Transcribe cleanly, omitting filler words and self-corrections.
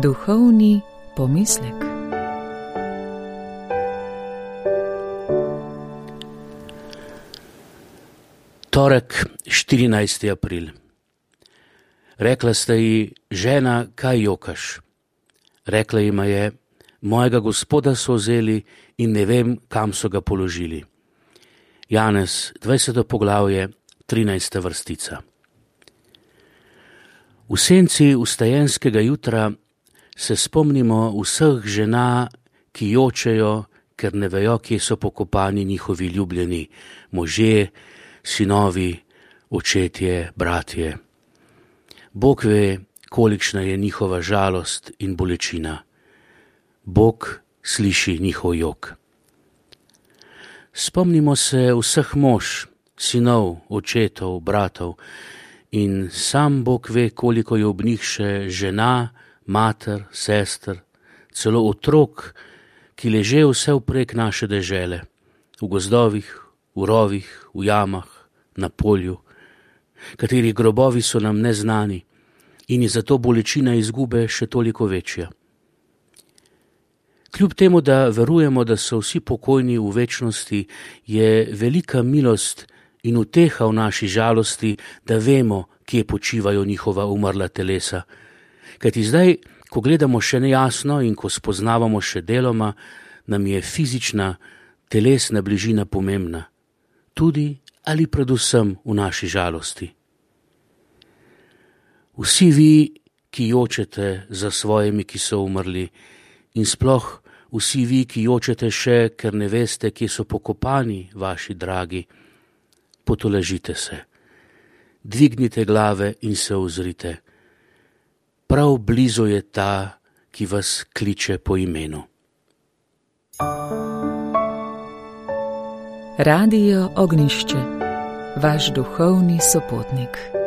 Duhovni pomislek. Torek, 14. april. Rekla sta ji: žena, kaj jokaš? Rekla jima je: mojega Gospoda so vzeli in ne vem, kam so ga položili. Janez, 20. poglavje, 13. vrstica. V senci vstajenskega jutra se spomnimo vseh žena, ki jočejo, ker ne vejo, kje so pokopani njihovi ljubljeni možje, sinovi, očetje, bratje. Bog ve, kolikšna je njihova žalost in bolečina. Bog sliši njihov jok. Spomnimo se vseh mož, sinov, očetov, bratov in sam Bog ve, koliko je ob njih še žena, mater, sester, celo otrok, ki leže vse vprek naše dežele, v gozdovih, v rovih, v jamah, na polju, katerih grobovi so nam neznani in je zato bolečina izgube še toliko večja. Kljub temu, da verujemo, da so vsi pokojni v večnosti, je velika milost in uteha v naši žalosti, da vemo, kje počivajo njihova umrla telesa. Kajti zdaj, ko gledamo še nejasno in ko spoznavamo še deloma, nam je fizična, telesna bližina pomembna. Tudi ali predvsem v naši žalosti. Vsi vi, ki jočete za svojimi, ki so umrli, in sploh vsi vi, ki jočete še, ker ne veste, kje so pokopani vaši dragi, potolažite se, dvignite glave in se ozrite. Prav blizu je ta, ki vas kliče po imenu. Radio Ognjišče, vaš duhovni sopotnik.